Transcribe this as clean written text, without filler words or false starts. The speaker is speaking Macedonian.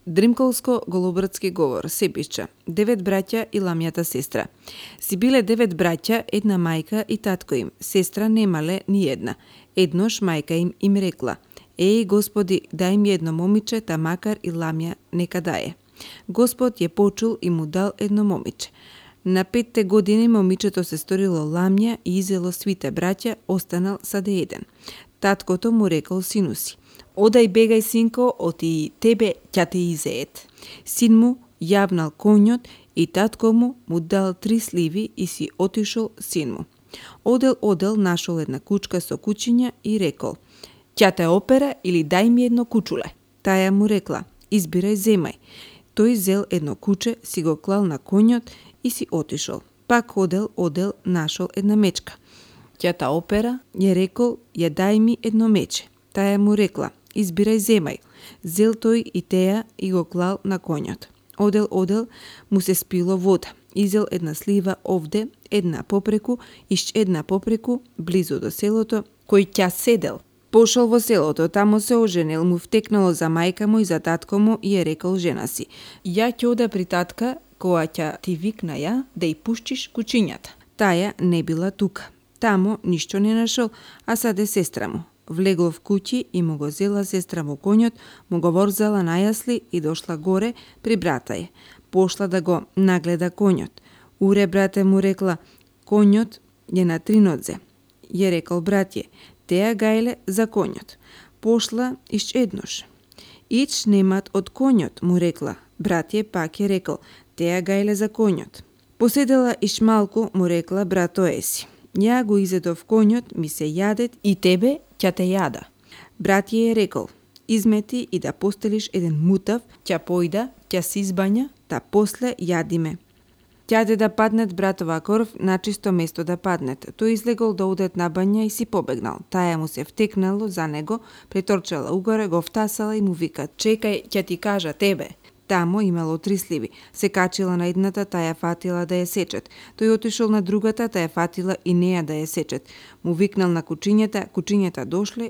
Дримколско-голобрдски говор се пиша 9 браќа и ламјата сестра. Си биле 9 браќа, една мајка и татко им. Сестра немале ни една. Еднош мајка им рекла: "Еј, Господи, дај ми едно момиче, та макар и ламја нека дае." Господ ја почул и му дал едно момиче. На 5 години момичето се сторило ламја и изело свите браќа, останал саде еден. Таткото му рекол сину си: "Одај бегај, синко, оти тебе ќе те изеет." Син му јавнал конјот и татко му дал 3 сливи и си отишол син му. Одел, нашол една кучка со кучиња и рекол: "Ќе те опера или дај ми едно кучуле." Таја му рекла: "Избирај, земај." Тој зел едно куче, си го клал на конјот и си отишол. Пак одел, нашол една мечка. Ќе та опера, ја рекол: "Ја дај ми едно мече." Таја му рекла: "Избирај, земај." Зел тој и теја и го клал на конјот. Одел, му се спило вода. Изел една слива овде, една попреку, една попреку, близу до селото, кој ќе седел. Пошол во селото, тамо се оженил, му втекнало за мајка му и за татко му и ја рекол жена си: "Ја ќе ода при татка, која ќе ти викна ја да ја пуштиш кучињата." Таја не била тука. Тамо ништо не нашол, а саде сестра му. Влегло в куќи и му го зела сестра му конјот, му го ворзала на јасли и дошла горе при брата ја. Пошла да го нагледа конјот. "Уре, брате," му рекла, "конјот е на 3 нодзе." Ја рекол братје: "Теја гајле за конјот." Пошла еднош. "Ич немат од конјот," му рекла. Братје пак ја рекол: "Теја гајле за конјот." Поседела малку, му рекла брато еси: "Ја го изедов конјот, ми се јадет и тебе ќе те јада." Братје ја рекол: "Измети и да постелиш еден мутав, ќе појда, ќе се избања, та после јадиме." Ќаде да паднет братова корв, на чисто место да паднет. Тој излегол да одет на бања и си побегнал. Таја му се втекнало за него, преторчала угоре, го втасала и му вика: "Чекај, ќе ти кажа тебе." Тамо имало 3 сливи. Се качила на едната, таја фатила да ја сечет. Тој отишол на другата, таја фатила и неја да ја сечет. Му викнал на кучињата, кучињата дошле